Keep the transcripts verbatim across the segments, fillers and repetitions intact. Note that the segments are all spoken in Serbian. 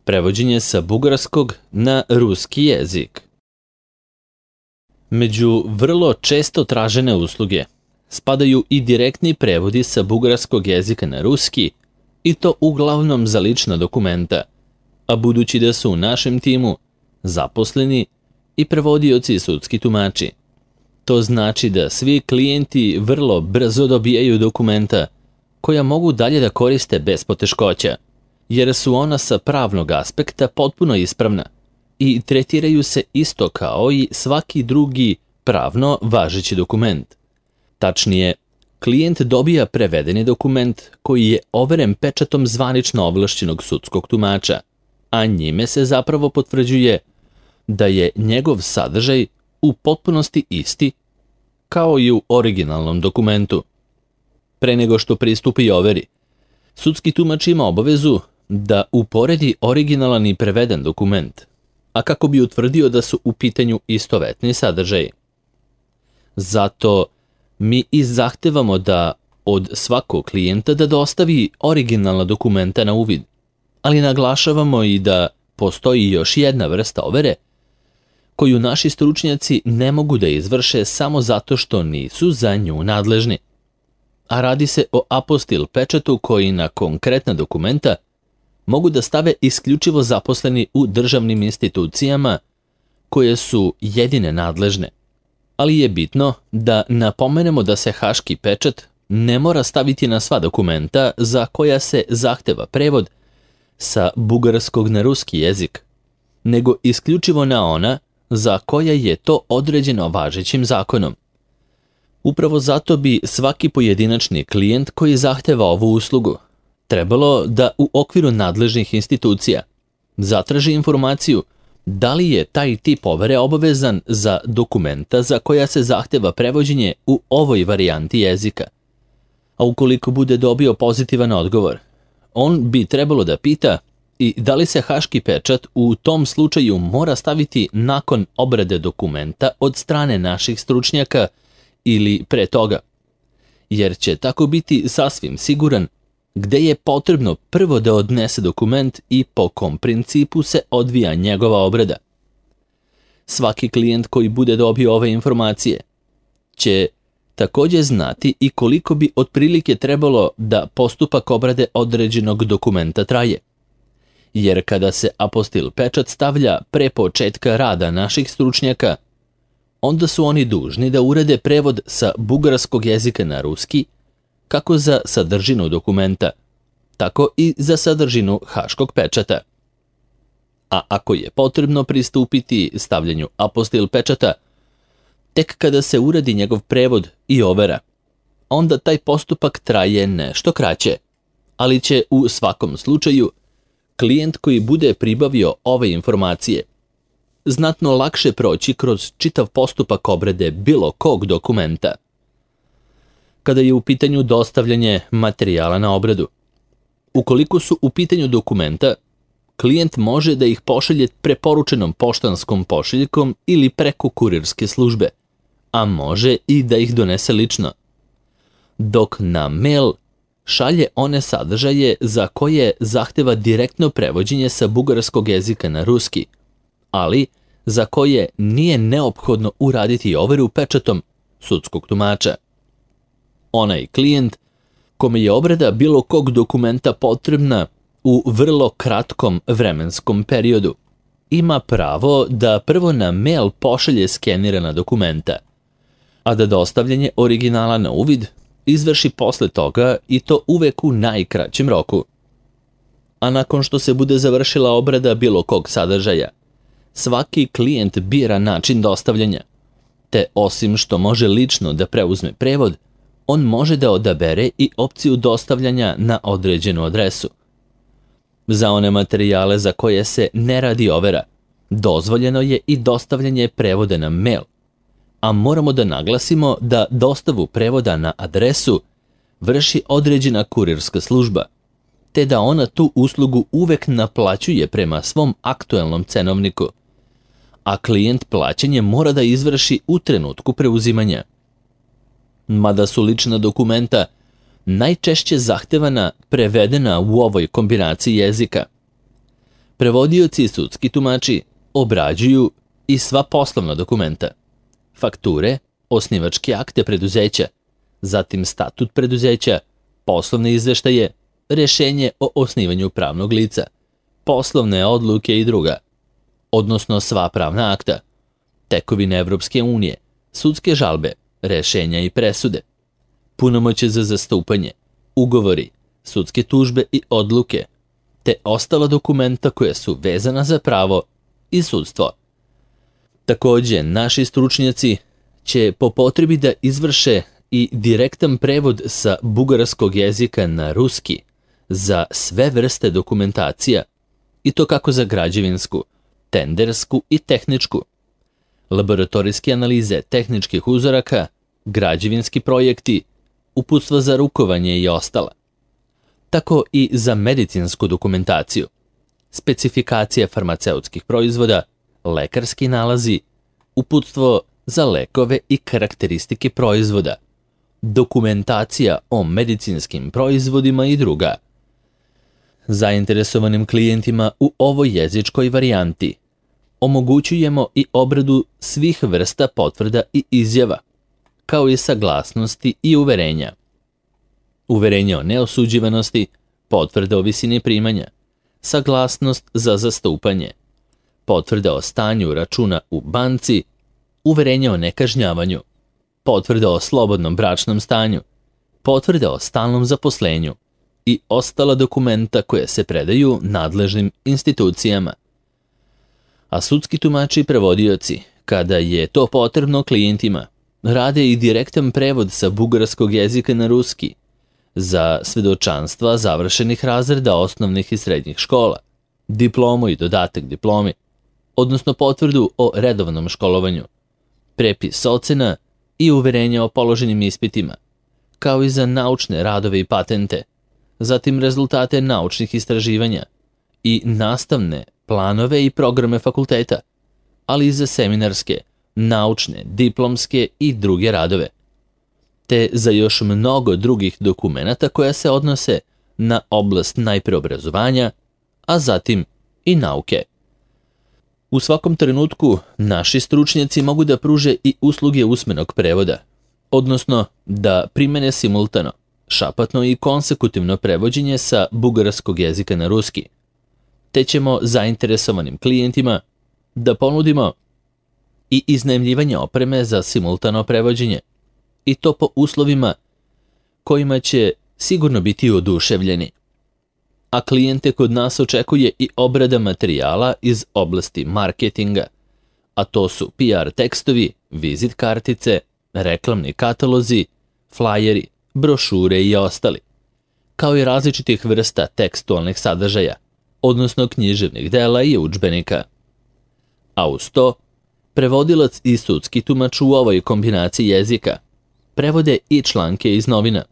prevođenje sa bugarskog na ruski jezik. Među vrlo često tražene usluge spadaju i direktni prevodi sa bugarskog jezika na ruski, i to uglavnom za lična dokumenta, a budući da su u našem timu zaposleni i prevodioci i sudski tumači, to znači da svi klijenti vrlo brzo dobijaju dokumenta koja mogu dalje da koriste bez poteškoća, jer su ona sa pravnog aspekta potpuno ispravna i tretiraju se isto kao i svaki drugi pravno važeći dokument. Tačnije, klijent dobija prevedeni dokument koji je overen pečatom zvanično ovlašćenog sudskog tumača, a njime se zapravo potvrđuje da je njegov sadržaj u potpunosti isti kao i u originalnom dokumentu. Pre nego što pristupi overi, sudski tumač ima obavezu da uporedi originalan i preveden dokument, a kako bi utvrdio da su u pitanju istovetni sadržaji. Zato mi i zahtevamo da od svakog klijenta da dostavi originalna dokumenta na uvid, ali naglašavamo i da postoji još jedna vrsta overe koju naši stručnjaci ne mogu da izvrše samo zato što nisu za nju nadležni. A radi se o apostil pečatu koji na konkretna dokumenta mogu da stave isključivo zaposleni u državnim institucijama koje su jedine nadležne. Ali je bitno da napomenemo da se haški pečat ne mora staviti na sva dokumenta za koja se zahteva prevod sa bugarskog na ruski jezik, nego isključivo na ona za koja je to određeno važećim zakonom. Upravo zato bi svaki pojedinačni klijent koji zahteva ovu uslugu trebalo da u okviru nadležnih institucija zatraži informaciju da li je taj tip overe obavezan za dokumenta za koja se zahteva prevođenje u ovoj varijanti jezika. A ukoliko bude dobio pozitivan odgovor, on bi trebalo da pita i da li se haški pečat u tom slučaju mora staviti nakon obrade dokumenta od strane naših stručnjaka ili pre toga, jer će tako biti sasvim siguran gde je potrebno prvo da odnese dokument i po kom principu se odvija njegova obrada. Svaki klijent koji bude dobio ove informacije će također znati i koliko bi otprilike trebalo da postupak obrade određenog dokumenta traje. Jer kada se apostil pečat stavlja pre početka rada naših stručnjaka, onda su oni dužni da urade prevod sa bugarskog jezika na ruski, kako za sadržinu dokumenta, tako i za sadržinu haškog pečata. A ako je potrebno pristupiti stavljanju apostil pečata, tek kada se uradi njegov prevod i overa, onda taj postupak traje nešto kraće, ali će u svakom slučaju klijent koji bude pribavio ove informacije znatno lakše proći kroz čitav postupak obrade bilo kog dokumenta. Kada je u pitanju dostavljanje materijala na obradu, ukoliko su u pitanju dokumenta, klijent može da ih pošalje preporučenom poštanskom pošiljkom ili preko kurirske službe, a može i da ih donese lično, dok na mail šalje one sadržaje za koje zahteva direktno prevođenje sa bugarskog jezika na ruski, ali za koje nije neophodno uraditi overu pečatom sudskog tumača. Onaj klijent kome je obrada bilo kog dokumenta potrebna u vrlo kratkom vremenskom periodu ima pravo da prvo na mail pošalje skenirana dokumenta, a da dostavljanje originala na uvid izvrši posle toga i to uvek u najkraćem roku. A nakon što se bude završila obrada bilo kog sadržaja, svaki klijent bira način dostavljanja, te osim što može lično da preuzme prevod, on može da odabere i opciju dostavljanja na određenu adresu. Za one materijale za koje se ne radi overa, dozvoljeno je i dostavljanje prevoda na mail, a moramo da naglasimo da dostavu prevoda na adresu vrši određena kurirska služba, te da ona tu uslugu uvek naplaćuje prema svom aktuelnom cenovniku, a klijent plaćanje mora da izvrši u trenutku preuzimanja. Mada su lična dokumenta najčešće zahtevana prevedena u ovoj kombinaciji jezika, Prevodioci i sudski tumači obrađuju i sva poslovna dokumenta, fakture, osnivačke akte preduzeća, zatim statut preduzeća, poslovne izveštaje, rešenje o osnivanju pravnog lica, poslovne odluke i druga, odnosno sva pravna akta, tekovine Evropske unije, sudske žalbe, rešenja i presude, punomoćje za zastupanje, ugovori, sudske tužbe i odluke, te ostala dokumenta koja su vezana za pravo i sudstvo. Takođe, naši stručnjaci će po potrebi da izvrše i direktan prevod sa bugarskog jezika na ruski za sve vrste dokumentacija, i to kako za građevinsku, tendersku i tehničku, laboratorijske analize tehničkih uzoraka, građevinski projekti, uputstva za rukovanje i ostala. Tako i za medicinsku dokumentaciju, specifikacije farmaceutskih proizvoda, lekarski nalazi, uputstvo za lekove i karakteristike proizvoda, dokumentacija o medicinskim proizvodima i druga. Zainteresovanim klijentima u ovoj jezičkoj varijanti omogućujemo i obradu svih vrsta potvrda i izjava, kao i saglasnosti i uverenja. Uverenje o neosuđivanosti, potvrda o visini primanja, saglasnost za zastupanje, potvrda o stanju računa u banci, uverenje o nekažnjavanju, potvrda o slobodnom bračnom stanju, potvrda o stalnom zaposlenju i ostala dokumenta koje se predaju nadležnim institucijama. A sudski tumači i prevodioci, kada je to potrebno klijentima, rade i direktan prevod sa bugarskog jezika na ruski za svedočanstva završenih razreda osnovnih i srednjih škola, diplomu i dodatak diplomi, odnosno potvrdu o redovnom školovanju, prepis ocena i uverenja o položenim ispitima, kao i za naučne radove i patente, zatim rezultate naučnih istraživanja i nastavne planove i programe fakulteta, ali i za seminarske, naučne, diplomske i druge radove, te za još mnogo drugih dokumenata koja se odnose na oblast najpre obrazovanja, a zatim i nauke. U svakom trenutku naši stručnjaci mogu da pruže i usluge usmenog prevoda, odnosno da primene simultano, šapatno i konsekutivno prevođenje sa bugarskog jezika na ruski, te ćemo zainteresovanim klijentima da ponudimo i iznajmljivanje opreme za simultano prevođenje, i to po uslovima kojima će sigurno biti oduševljeni. A klijente kod nas očekuje i obrada materijala iz oblasti marketinga, a to su P R tekstovi, vizit kartice, reklamni katalozi, flajeri, brošure i ostali, kao i različitih vrsta tekstualnih sadržaja, odnosno književnih dela i udžbenika. A uz to, prevodilac i sudski tumač u ovoj kombinaciji jezika prevode i članke iz novina,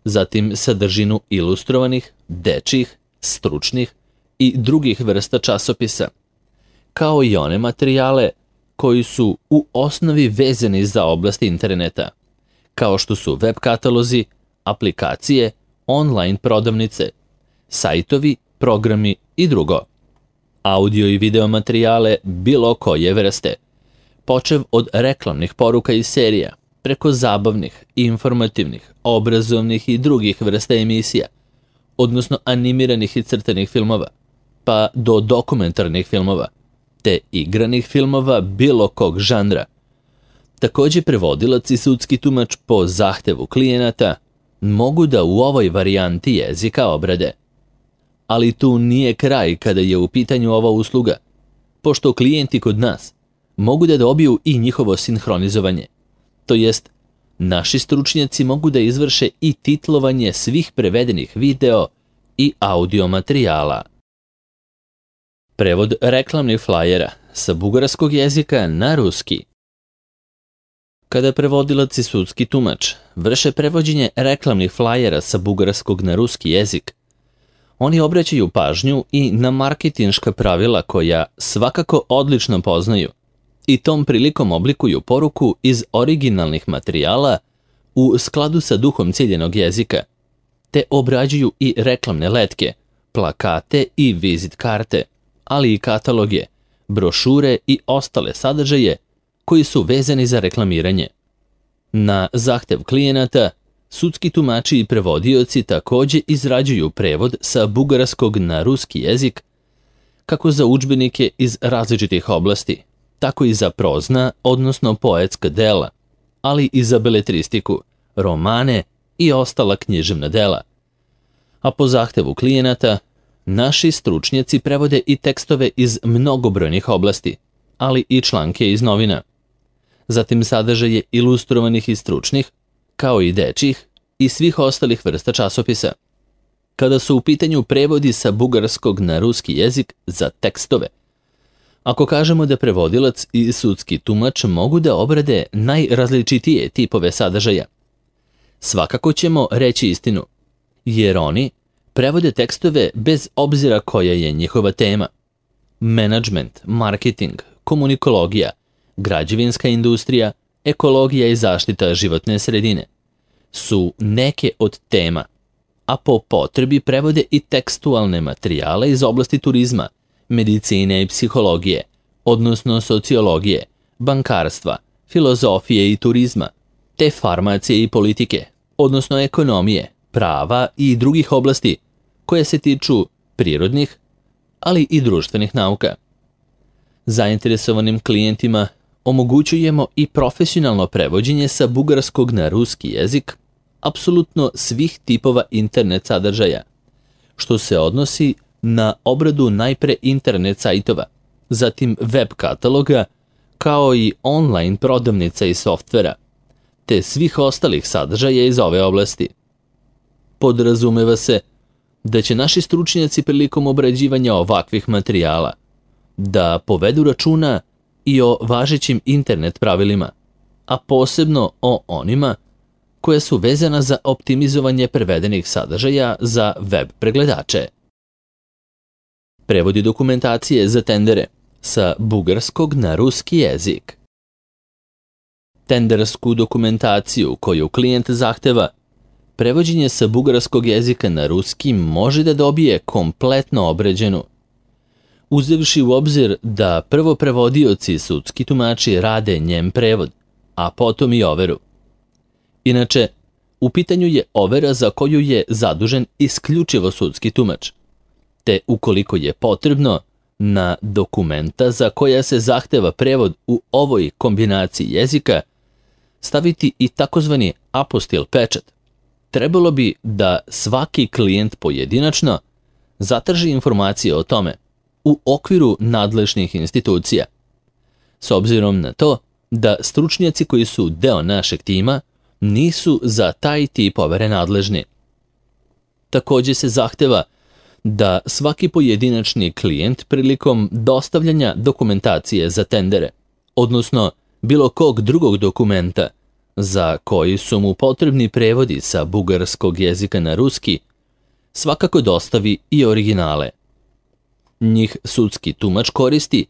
zatim sadržinu ilustrovanih, dečjih, stručnih i drugih vrsta časopisa, kao i one materijale koji su u osnovi vezani za oblast interneta, kao što su web katalozi, aplikacije, online prodavnice, sajtovi, programi i drugo. Audio i video materijale bilo koje vrste, počev od reklamnih poruka i serija, preko zabavnih, informativnih, obrazovnih i drugih vrsta emisija, odnosno animiranih i crtanih filmova, pa do dokumentarnih filmova, te igranih filmova bilo kog žanra. Takođe, prevodilac i sudski tumač po zahtevu klijenata mogu da u ovoj varijanti jezika obrade. Ali tu nije kraj kada je u pitanju ova usluga, pošto klijenti kod nas mogu da dobiju i njihovo sinhronizovanje, to jest naši stručnjaci mogu da izvrše i titlovanje svih prevedenih video i audio materijala. Prevod reklamnih flajera sa bugarskog jezika na ruski. Kada prevodilac i sudski tumač vrše prevođenje reklamnih flajera sa bugarskog na ruski jezik, oni obraćaju pažnju i na marketinška pravila koja svakako odlično poznaju i tom prilikom oblikuju poruku iz originalnih materijala u skladu sa duhom ciljenog jezika, te obrađuju i reklamne letke, plakate i vizit karte, ali i kataloge, brošure i ostale sadržaje koji su vezani za reklamiranje. Na zahtev klijenata, sudski tumači i prevodioci takođe izrađuju prevod sa bugarskog na ruski jezik, kako za udžbenike iz različitih oblasti, tako i za prozna, odnosno poetska dela, ali i za beletristiku, romane i ostala književna dela. A po zahtevu klijenata, naši stručnjaci prevode i tekstove iz mnogobrojnih oblasti, ali i članke iz novina. Zatim sadržaje ilustrovanih i stručnih, kao i dečjih i svih ostalih vrsta časopisa. Kada su u pitanju prevodi sa bugarskog na ruski jezik za tekstove, ako kažemo da prevodilac i sudski tumač mogu da obrade najrazličitije tipove sadržaja, svakako ćemo reći istinu, jer oni prevode tekstove bez obzira koja je njihova tema. Menadžment, marketing, komunikologija, građevinska industrija, ekologija i zaštita životne sredine su neke od tema, a po potrebi prevode i tekstualne materijale iz oblasti turizma, medicine i psihologije, odnosno sociologije, bankarstva, filozofije i turizma, te farmacije i politike, odnosno ekonomije, prava i drugih oblasti koje se tiču prirodnih, ali i društvenih nauka. Zainteresovanim klijentima omogućujemo i profesionalno prevođenje sa bugarskog na ruski jezik apsolutno svih tipova internet sadržaja, što se odnosi na obradu najpre internet sajtova, zatim web kataloga, kao i online prodavnica i softvera, te svih ostalih sadržaja iz ove oblasti. Podrazumeva se da će naši stručnjaci prilikom obrađivanja ovakvih materijala da povedu računa i o važećim internet pravilima, a posebno o onima koja su vezana za optimizovanje prevedenih sadržaja za web pregledače. Prevodi dokumentacije za tendere sa bugarskog na ruski jezik. Tendersku dokumentaciju koju klijent zahteva, prevođenje sa bugarskog jezika na ruski može da dobije kompletno obrađenu, uzevši u obzir da prvo prevodioci i sudski tumači rade njem prevod, a potom i overu. Inače, u pitanju je overa za koju je zadužen isključivo sudski tumač, te ukoliko je potrebno, na dokumenta za koja se zahteva prevod u ovoj kombinaciji jezika staviti i takozvani apostil pečat. Trebalo bi da svaki klijent pojedinačno zatraži informacije o tome u okviru nadležnih institucija. S obzirom na to da stručnjaci koji su deo našeg tima nisu za taj tip overe nadležni. Takođe se zahteva da svaki pojedinačni klijent prilikom dostavljanja dokumentacije za tendere, odnosno bilo kog drugog dokumenta za koji su mu potrebni prevodi sa bugarskog jezika na ruski, svakako dostavi i originale. Njih sudski tumač koristi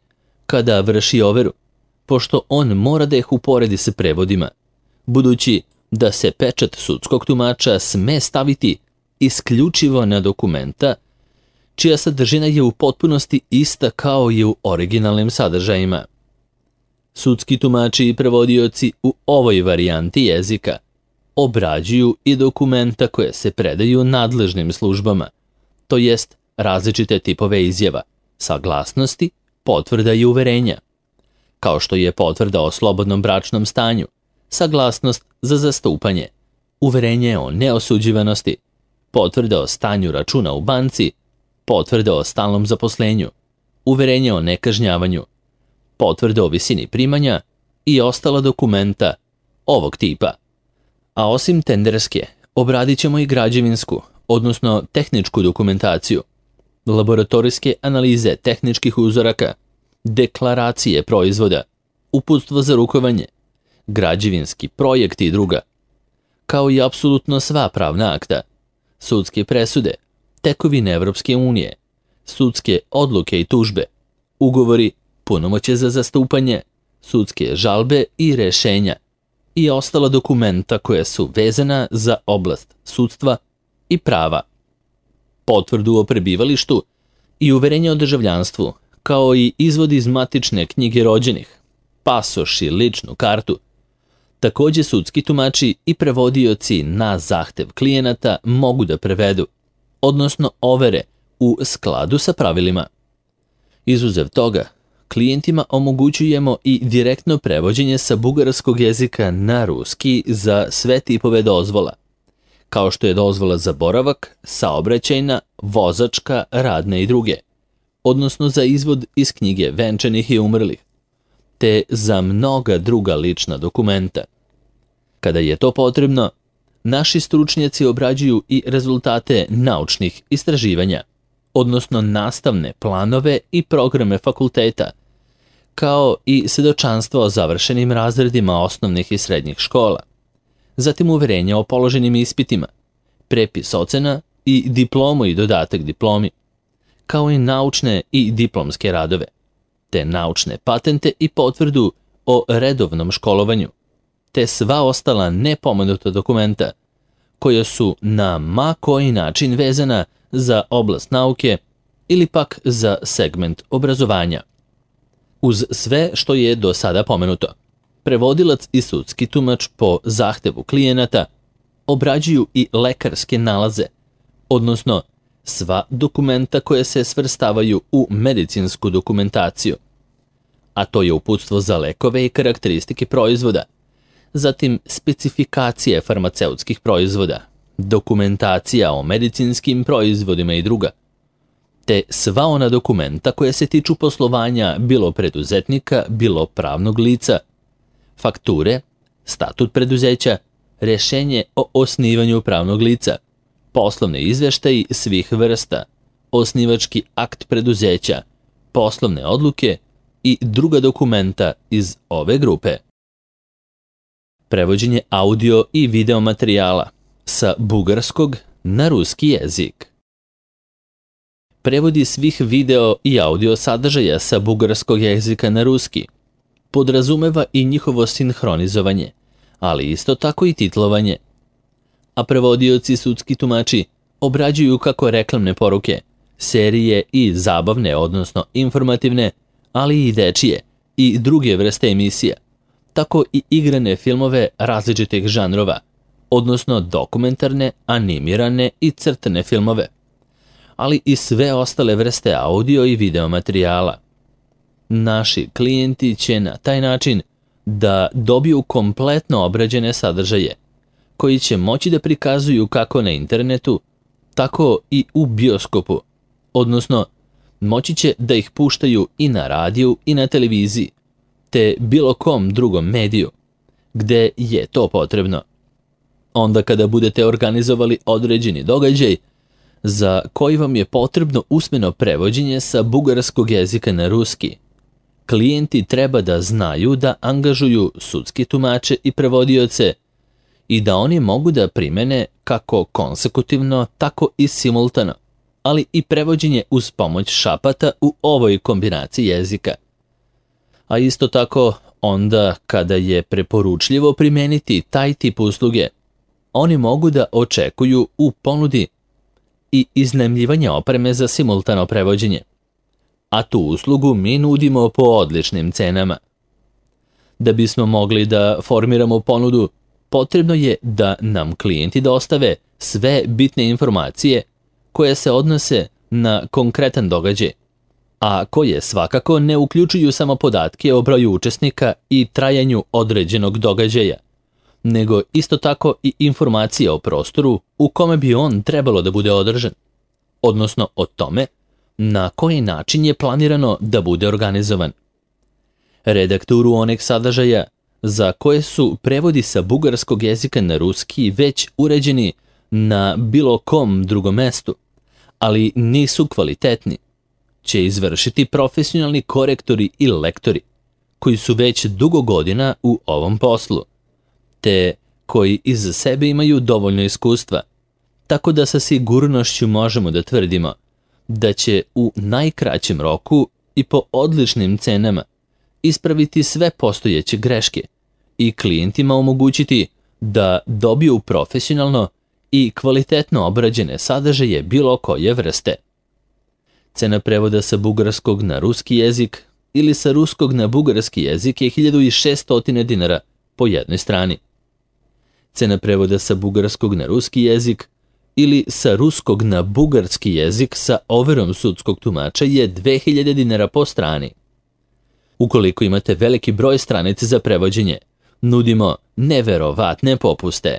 kada vrši overu, pošto on mora da ih uporedi sa prevodima, budući da se pečat sudskog tumača sme staviti isključivo na dokumenta čija sadržina je u potpunosti ista kao i u originalnim sadržajima. Sudski tumači i prevodioci u ovoj varijanti jezika obrađuju i dokumenta koje se predaju nadležnim službama, to jest različite tipove izjava, saglasnosti, potvrda i uverenja, kao što je potvrda o slobodnom bračnom stanju, saglasnost za zastupanje, uverenje o neosuđivanosti, potvrda o stanju računa u banci, potvrda o stalnom zaposlenju, uverenje o nekažnjavanju, potvrda o visini primanja i ostala dokumenta ovog tipa. A osim tenderske, obradit ćemo i građevinsku, odnosno tehničku dokumentaciju, laboratorijske analize tehničkih uzoraka, deklaracije proizvoda, uputstvo za rukovanje, građevinski projekt i druga, kao i apsolutno sva pravna akta, sudske presude, tekovine Evropske unije, sudske odluke i tužbe, ugovori, punomoćje za zastupanje, sudske žalbe i rešenja i ostala dokumenta koja su vezana za oblast sudstva i prava, potvrdu o prebivalištu i uverenje o državljanstvu, kao i izvod iz matične knjige rođenih, pasoš i ličnu kartu. Takođe, sudski tumači i prevodioci na zahtev klijenata mogu da prevedu, odnosno overe u skladu sa pravilima. Izuzev toga, klijentima omogućujemo i direktno prevođenje sa bugarskog jezika na ruski za sve tipove dozvola, kao što je dozvola za boravak, saobraćajna, vozačka, radne i druge, odnosno za izvod iz knjige venčanih i umrlih, te za mnoga druga lična dokumenta. Kada je to potrebno, naši stručnjaci obrađuju i rezultate naučnih istraživanja, odnosno nastavne planove i programe fakulteta, kao i svedočanstva o završenim razredima osnovnih i srednjih škola, zatim uverenja o položenim ispitima, prepis ocena i diplomu i dodatak diplomi, kao i naučne i diplomske radove, te naučne patente i potvrdu o redovnom školovanju, te sva ostala nepomenuta dokumenta koja su na ma koji način vezana za oblast nauke ili pak za segment obrazovanja. Uz sve što je do sada pomenuto, prevodilac i sudski tumač po zahtevu klijenata obrađuju i lekarske nalaze, odnosno sva dokumenta koja se svrstavaju u medicinsku dokumentaciju, a to je uputstvo za lekove i karakteristike proizvoda, zatim specifikacije farmaceutskih proizvoda, dokumentacija o medicinskim proizvodima i druga, te sva ona dokumenta koja se tiču poslovanja bilo preduzetnika, bilo pravnog lica, fakture, statut preduzeća, rešenje o osnivanju pravnog lica, poslovne izveštaji svih vrsta, osnivački akt preduzeća, poslovne odluke i druga dokumenta iz ove grupe. Prevođenje audio i video materijala sa bugarskog na ruski jezik. Prevodi svih video i audio sadržaja sa bugarskog jezika na ruski podrazumeva i njihovo sinhronizovanje, ali isto tako i titlovanje. A prevodioci sudski tumači obrađuju kako reklamne poruke, serije i zabavne, odnosno informativne, ali i dečije i druge vrste emisija, tako i igrane filmove različitih žanrova, odnosno dokumentarne, animirane i crtane filmove, ali i sve ostale vrste audio i video materijala. Naši klijenti će na taj način da dobiju kompletno obrađene sadržaje, koji će moći da prikazuju kako na internetu, tako i u bioskopu, odnosno moći će da ih puštaju i na radiju i na televiziji, te bilo kom drugom mediju, gde je to potrebno. Onda kada budete organizovali određeni događaj, za koji vam je potrebno usmeno prevođenje sa bugarskog jezika na ruski, klijenti treba da znaju da angažuju sudske tumače i prevodioce i da oni mogu da primene kako konsekutivno, tako i simultano, ali i prevođenje uz pomoć šapata u ovoj kombinaciji jezika. A isto tako, onda kada je preporučljivo primeniti taj tip usluge, oni mogu da očekuju u ponudi i iznajmljivanje opreme za simultano prevođenje, a tu uslugu mi nudimo po odličnim cenama. Da bismo mogli da formiramo ponudu, potrebno je da nam klijenti dostave sve bitne informacije koje se odnose na konkretan događaj, a koje svakako ne uključuju samo podatke o broju učesnika i trajanju određenog događaja, nego isto tako i informacije o prostoru u kome bi on trebalo da bude održan, odnosno o tome na koji način je planirano da bude organizovan. Redakturu onih sadržaja za koje su prevodi sa bugarskog jezika na ruski već uređeni na bilo kom drugom mestu, ali nisu kvalitetni, će izvršiti profesionalni korektori i lektori, koji su već dugo godina u ovom poslu, te koji iza sebe imaju dovoljno iskustva, tako da sa sigurnošću možemo da tvrdimo da će u najkraćem roku i po odličnim cenama ispraviti sve postojeće greške i klijentima omogućiti da dobiju profesionalno i kvalitetno obrađene sadržaje bilo koje vrste. Cena prevoda sa bugarskog na ruski jezik ili sa ruskog na bugarski jezik je hiljadu šesto dinara po jednoj strani. Cena prevoda sa bugarskog na ruski jezik ili sa ruskog na bugarski jezik sa overom sudskog tumača je dve hiljade dinara po strani. Ukoliko imate veliki broj stranica za prevođenje, nudimo neverovatne popuste.